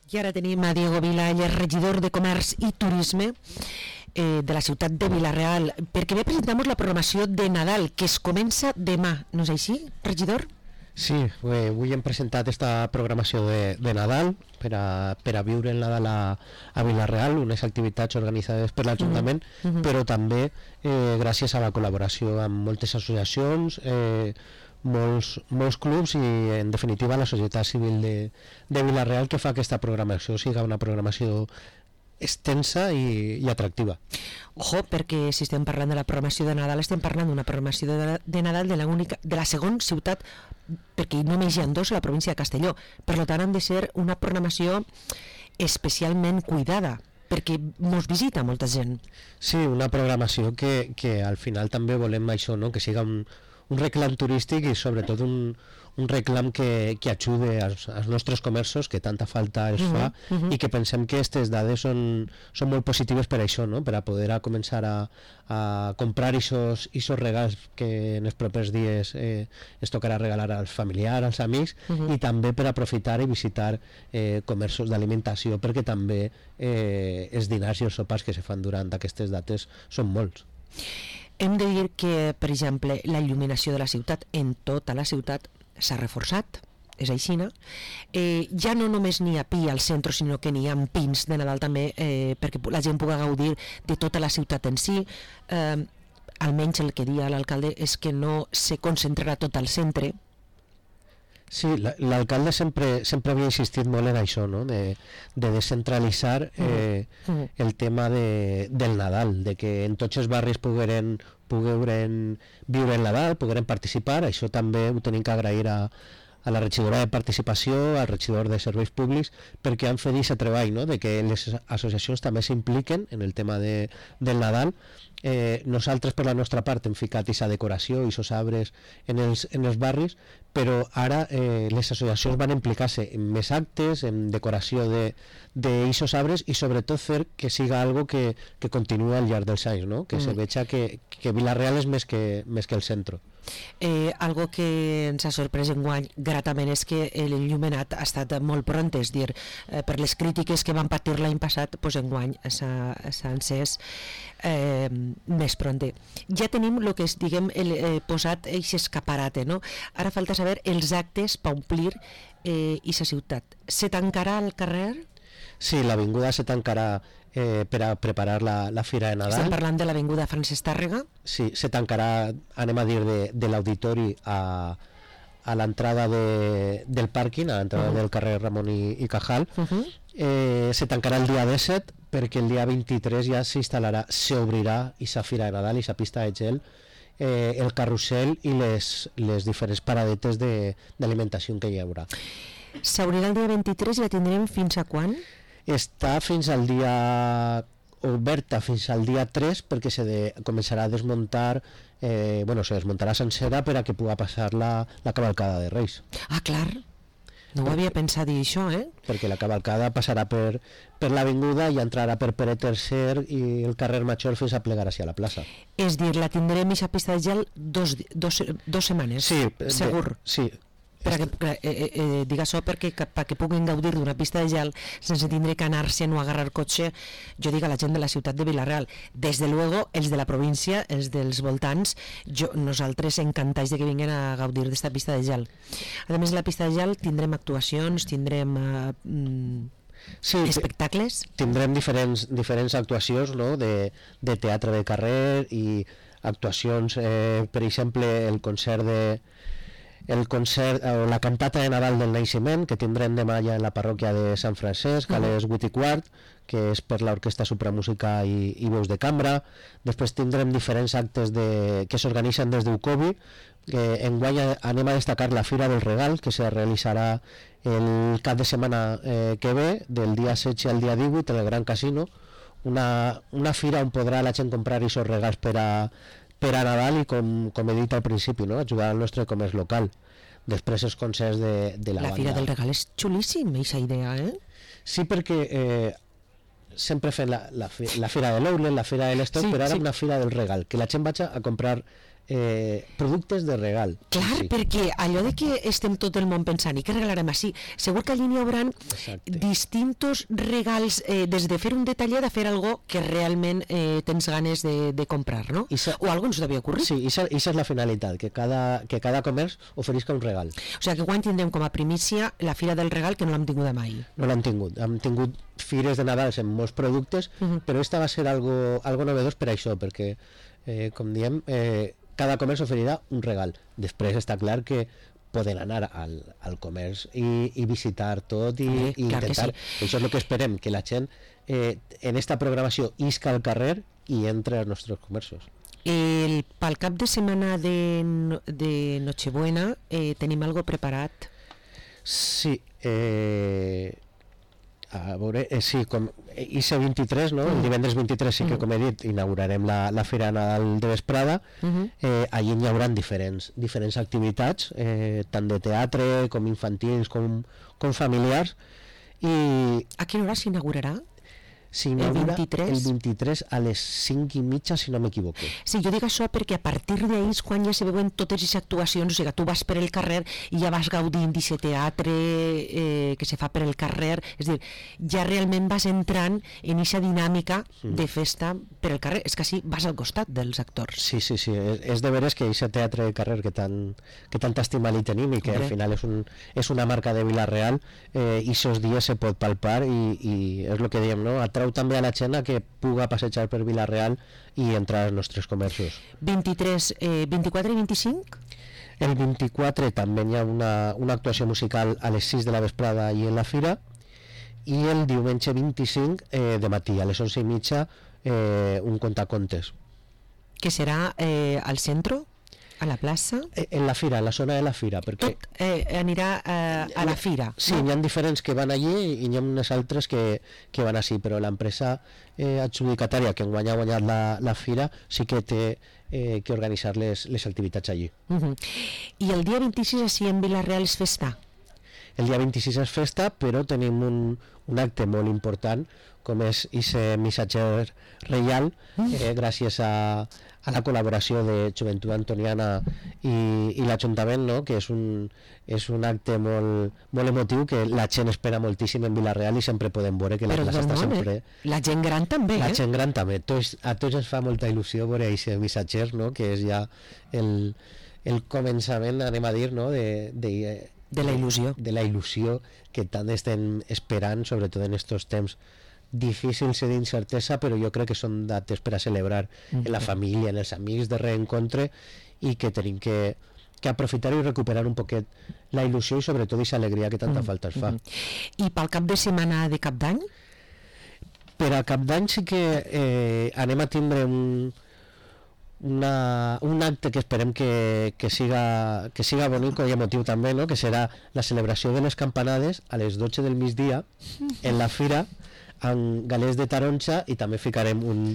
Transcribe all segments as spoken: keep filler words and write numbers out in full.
I ara tenim a Diego Vila, ell és regidor de Comerç i Turisme eh, de la ciutat de Vila-real, perquè ve presentamos la programació de Nadal, que es comença demà, no és així, regidor? Sí, eh, avui hem presentat esta programació de, de Nadal per a, per a viure el Nadal a, a Vila-real, unes activitats organitzades per l'Ajuntament, uh -huh. però també eh, gràcies a la col·laboració amb moltes associacions, eh, molts, molts clubs i en definitiva la societat civil de, de Vila-real, que fa que aquesta programació siga una programació extensa i, i atractiva. Ojo, perquè si estem parlant de la programació de Nadal, estem parlant d'una programació de, de Nadal de la, única, de la segona ciutat, perquè només hi ha dos a la província de Castelló, per tant han de ser una programació especialment cuidada, perquè mos visita molta gent. Sí, una programació que, que al final també volem això, no? Que siga un, un reclam turístic i sobretot un, un reclam que, que ajude als, als nostres comerços, que tanta falta els fa, uh -huh, uh -huh. i que pensem que aquestes dades són, són molt positives per això, no? Per a poder a començar a, a comprar aquests regals que en els propers dies eh, es tocarà regalar als familiars, als amics, uh -huh. i també per aprofitar i visitar eh, comerços d'alimentació, perquè també eh, els dinars i els sopars que se fan durant aquestes dates són molts. Hem de dir que, per exemple, la il·luminació de la ciutat, en tota la ciutat, s'ha reforçat, és així, no? Eh, ja no només n'hi ha pi al centre, sinó que n'hi ha pins de Nadal també, eh, perquè la gent pugui gaudir de tota la ciutat en si. Eh, almenys el que dia l'alcalde és que no se concentrarà tot al centre. Sí, l'alcalde sempre, sempre havia insistit molt en això, no? de, de descentralitzar eh, uh -huh. el tema de, del Nadal, de que en tots els barris pogueren, pogueren viure el Nadal, pogueren participar. Això també ho tenim que agrair a, a la regidora de participació, al regidor de serveis públics, perquè han fet aquest treball, no? De que les associacions també s'impliquen en el tema de, del Nadal. Eh, nosaltres per la nostra part hem ficat aquesta decoració i aquests arbres en els, en els barris, però ara eh, les associacions van implicar-se en més actes, en decoració d'aquests arbres i sobretot fer que siga algo que, que continua al llarg dels anys, no? Que mm. se veja que, que Vila-real és més que, més que el centre. Eh, algo que ens ha sorprès enguany gratament és que l'il·luminat ha estat molt pront, és dir, eh, per les crítiques que van patir l'any passat, doncs enguany s'ha encès eh, més pront. Ja tenim el que és, diguem, el, eh, posat aquest escaparate, no? Ara falta saber els actes per omplir eh, aquesta ciutat. Se tancarà al carrer? Sí, l'avinguda se tancarà eh, per a preparar la, la Fira de Nadal. Estem parlant de l'avinguda Francesc Tàrrega? Sí, se tancarà, anem a dir, de, de l'auditori a, a l'entrada de, del pàrquing, a l'entrada uh -huh. del carrer Ramon i, i Cajal. Uh -huh. eh, se tancarà el dia disset, perquè el dia vint-i-tres ja s'instal·larà, s'obrirà aquesta Fira de Nadal, aquesta pista de gel, eh, el carrusel i les, les diferents paradetes d'alimentació que hi haurà. S'obrirà el dia vint-i-tres i la tindrem fins a quan? Està fins al dia oberta fins al dia tres, perquè se de, començarà a desmuntar eh, bueno, se desmuntarà sencera per a que pugui passar la, la cavalcada de Reis. Ah, clar, no ho havia pensat dir això, eh? Perquè la cavalcada passarà per, per l'avinguda i entrarà per Pere tercer i el carrer Major fins a plegar hacia la plaça. És dir, la tindrem a pista de gel dos, dos, dos setmanes, sí, segur? De, sí, per a que, eh, eh, eh, digue això perquè perquè puguin gaudir d'una pista de gel sense tindre que anar-se'n o agarrar cotxe, jo dic a la gent de la ciutat de Vila-real. Des de luego, els de la província, els dels voltants, jo, nosaltres encantats de que vinguin a gaudir d'esta pista de gel. A més, la pista de gel tindrem actuacions, tindrem eh, mm, sí, espectacles. Tindrem diferents, diferents actuacions, no? de, de teatre de carrer i actuacions, eh, per exemple, el concert de el concert o la cantata de Nadal del Naixement, que tindrem demà ja en la parròquia de Sant Francesc a les vuit i quart, que és per l'Orquestra Supramúsica i, i Veus de Cambra. Després tindrem diferents actes de, que s'organitzen des d'Ucobi. Eh, enguany anem a destacar la Fira del Regal, que se realitzarà el cap de setmana eh, que ve, del dia setze al dia divuit, en el Gran Casino, una, una fira on podrà la gent comprar aquests regals per a per a Nadal i, com, com he dit al principi, no? Ajudar al nostre comerç local. Després els concerts de, de la, la banda. La Fira del Regal és xulíssim, aquesta idea, eh? Sí, perquè eh, sempre fem la, la, la Fira de l'Outlet, la Fira de l'Estoc, sí, però ara sí. Una Fira del Regal, que la gent vagi a comprar eh, productes de regal. Clar, sí, sí. Perquè allò de que estem tot el món pensant i que regalarem així, segur que allí n'hi haurà distintos regals, eh, des de fer un detallet a fer algo que realment eh, tens ganes de, de comprar, no? Sa, o algo ens devia ocórrer. Sí, i això és la finalitat, que cada, que cada comerç oferisca un regal. O sigui que guany tindrem com a primícia la Fira del Regal, que no l'hem tingut mai. No l'hem tingut, hem tingut fires de Nadal en molts productes, uh -huh. però esta va ser algo, algo novedós per això, perquè, eh, com diem, eh, cada comerç oferirà un regal. Després està clar que poden anar al, al comerç i, i visitar tot i, eh, i intentar. Sí. Això és el que esperem, que la gent eh, en esta programació isca al carrer i entre als nostres comerços. El, pel cap de setmana de, de Nochebuena eh, tenim algo preparat? Sí, eh... a veure, eh, sí, com I C vint-i-tres, no? El divendres vint-i-tres sí que, com he dit, inaugurarem la, la Fira Nadal de Vesprada. Uh-huh. eh, allí hi haurà diferents, diferents activitats, eh, tant de teatre com infantils com, com familiars. I a quina hora s'inaugurarà? S'inaugura el, el vint-i-tres a les cinc i mitja, si no m'equivoco. Sí, jo dic això perquè a partir d'ahir és quan ja se veuen totes les actuacions, o sigui, tu vas per el carrer i ja vas gaudint d'aquest teatre eh, que se fa per el carrer, és a dir, ja realment vas entrant en aquesta dinàmica mm. de festa per el carrer, és que així vas al costat dels actors. Sí, sí, sí, és, és de veres que aquest teatre de carrer que, tan, que tanta estima li tenim i que Hombre. al final és, un, és una marca de Vila-real, eh, i aquests dies se pot palpar i, i és el que diem, no? Atrau també a la gent a que puga passejar per Vila-real i entrar als nostres comerços. vint-i-tres, eh, vint-i-quatre i vint-i-cinc? El vint-i-quatre també hi ha una, una actuació musical a les sis de la vesprada i en la fira, i el diumenge vint-i-cinc eh, de matí a les onze i mitja eh, un contacontes. Que serà eh, al centre? A la plaça? En la fira, en la zona de la fira. Perquè tot eh, anirà eh, a la fira? Sí, no? Hi ha diferents que van allí i hi ha unes altres que, que van així, però l'empresa eh, adjudicatària que enguany ha guanyat la, la fira sí que té eh, que organitzar les, les activitats allí. Uh-huh. I el dia vint-i-sis així en Vila-real és festa? El dia vint-i-sis és festa, però tenim un, un acte molt important, com és aquest missatger reial, eh, gràcies a, a la col·laboració de Joventut Antoniana i, i l'Ajuntament, no? Que és un, és un acte molt, molt emotiu que la gent espera moltíssim en Vila-real i sempre podem veure que la Però plaça està sempre... Eh? La gent gran també, la eh? La gent gran també. Tots, a tots ens fa molta il·lusió veure aquest missatger, no? Que és ja el, el començament, anem a dir, no? de, de, de la il·lusió. De la il·lusió que tant estem esperant, sobretot en aquests temps difícils i d'incertesa, però jo crec que són dates per a celebrar mm-hmm. en la família, en els amics, de reencontre, i que tenim que, que aprofitar i recuperar un poquet la il·lusió i sobretot aquesta alegria que tanta mm-hmm. falta es fa. I pel cap de setmana de cap d'any? Per a cap d'any sí que eh, anem a tindre un, una, un acte que esperem que, que, siga, que siga bonic i emotiu també, no? Que serà la celebració de les campanades a les dotze del migdia en la fira, amb galets de taronja, i també ficarem un,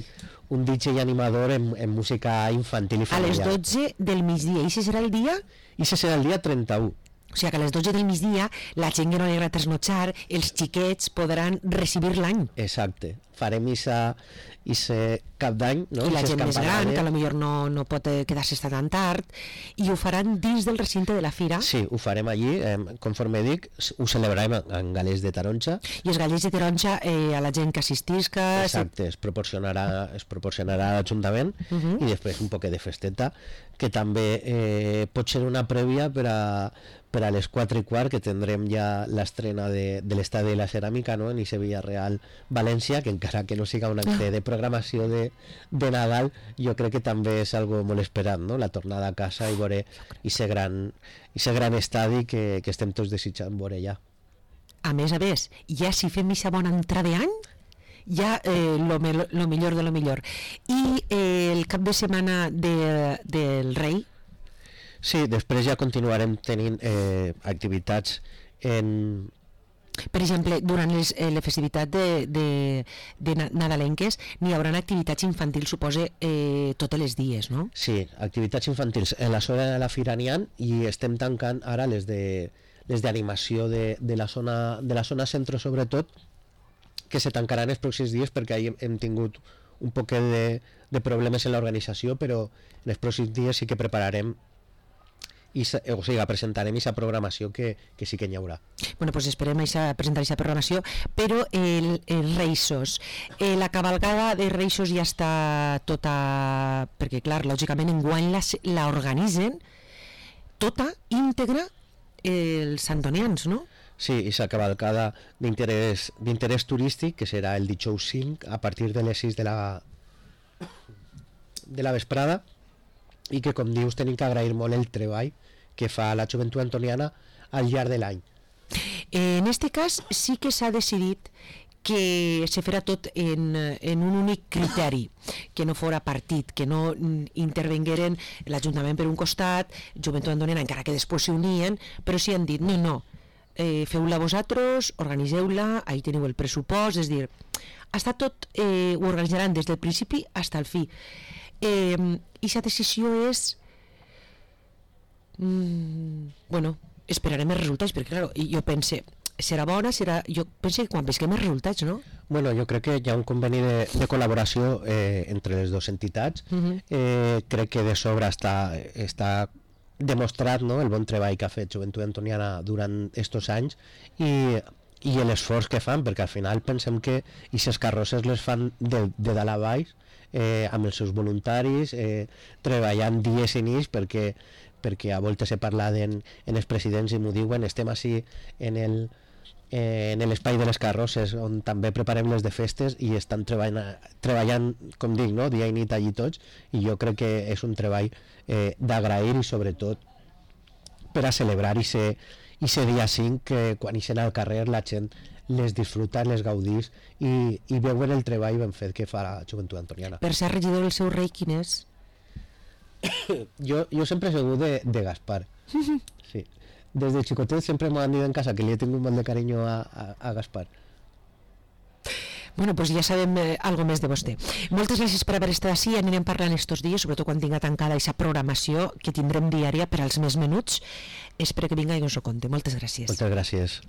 un D J animador en, en música infantil i familiar. A les dotze del migdia, i aquest serà el dia? I aquest serà el dia trenta-u. O sigui que a les dotze del migdia la gent que no li agrada trasnotxar, els xiquets podran recibir l'any. Exacte. Farem isa, isa cap d'any, no? I la gent més gran, que potser no, no pot quedar-se tan tard, i ho faran dins del recinte de la fira. Sí, ho farem allí, eh, conforme dic, ho celebrarem en galets de taronja. I els galets de taronja eh, a la gent que assistisca... Exacte, es proporcionarà, es proporcionarà a l'Ajuntament, uh-huh. i després un poquet de festeta, que també eh, pot ser una prèvia per a, per a les quatre i quart, que tindrem ja l'estrena de, de l'estadi de la ceràmica, no? En Ixe Villarreal València, que encara que no siga un acte de programació de, de Nadal, jo crec que també és algo molt esperat, no? La tornada a casa i veure ixe gran, ixe gran estadi que, que estem tots desitjant veure ja. A més a més, ja si fem ixa bona entrada d'any, ja eh, lo, me, lo millor de lo millor. I eh, el cap de setmana de, del Rei? Sí, després ja continuarem tenint eh, activitats en... Per exemple, durant les, eh, la festivitat de, de, de nadalenques n'hi haurà activitats infantils, suposa, eh, totes les dies, no? Sí, activitats infantils. En la zona de la fira n'hi ha, i estem tancant ara les de les d'animació de, de, la zona, de la zona centre, sobretot, que se tancaran els pròxims dies perquè ahir hem tingut un poquet de, de problemes en l'organització, però en els pròxims dies sí que prepararem i, o sigui, presentarem aquesta programació que, que sí que n'hi haurà. Bueno, pues esperem a presentar aquesta programació, però el, el Reixos, eh, la cavalgada de Reixos ja està tota, perquè clar, lògicament enguany la, la organitzen tota, íntegra, els antonians, no? Sí, aquesta cavalcada d'interès d'interès turístic, que serà el dijous cinc a partir de les sis de la de la vesprada, i que, com dius, tenim que agrair molt el treball que fa la joventut antoniana al llarg de l'any. En este cas sí que s'ha decidit que se farà tot en, en un únic criteri, que no fora partit, que no intervengueren l'Ajuntament per un costat, Joventut Antoniana, encara que després s'unien, però sí han dit, no, no, eh, feu-la vosaltres, organiseu-la, ahí teniu el pressupost, és dir, està tot, eh, ho organitzaran des del principi fins al fi. Eh, i la decisió és mm, bueno, esperarem els resultats, perquè clar, jo pense, serà bona, serà... jo pense que quan visquem els resultats, no? Bueno, jo crec que hi ha un conveni de, de col·laboració eh, entre les dues entitats. Uh-huh. eh, crec que de sobre està, està demostrat, no?, el bon treball que ha fet Joventut Antoniana durant aquests anys i, i l'esforç que fan, perquè al final pensem que aquestes carrosses les fan de, de dalt a baix, eh, amb els seus voluntaris, eh, treballant dies i nits, perquè, perquè a voltes he parlat en, en els presidents i m'ho diuen, estem així en el eh, en l'espai de les carrosses on també preparem les de festes i estan treballant, treballant com dic, no?, dia i nit allí tots, i jo crec que és un treball eh, d'agrair i sobretot per a celebrar i ser i ser dia cinc, que quan ixen al carrer la gent les disfruta, les gaudís i, i veuen el treball ben fet que fa la Joventut Antoniana. Per ser regidor el seu rei quin és? jo, jo sempre he sigut de, de Gaspar. Sí. Des de xicotet sempre m'han dit en casa que li he tingut molt de carinyo a, a, a Gaspar. Bueno, pues ja sabem eh, algo més de vostè. Moltes gràcies per haver estat així, anirem parlant estos dies, sobretot quan tinga tancada aquesta programació que tindrem diària per als més menuts. Espero que vinga i us ho conte. Moltes gràcies. Moltes gràcies.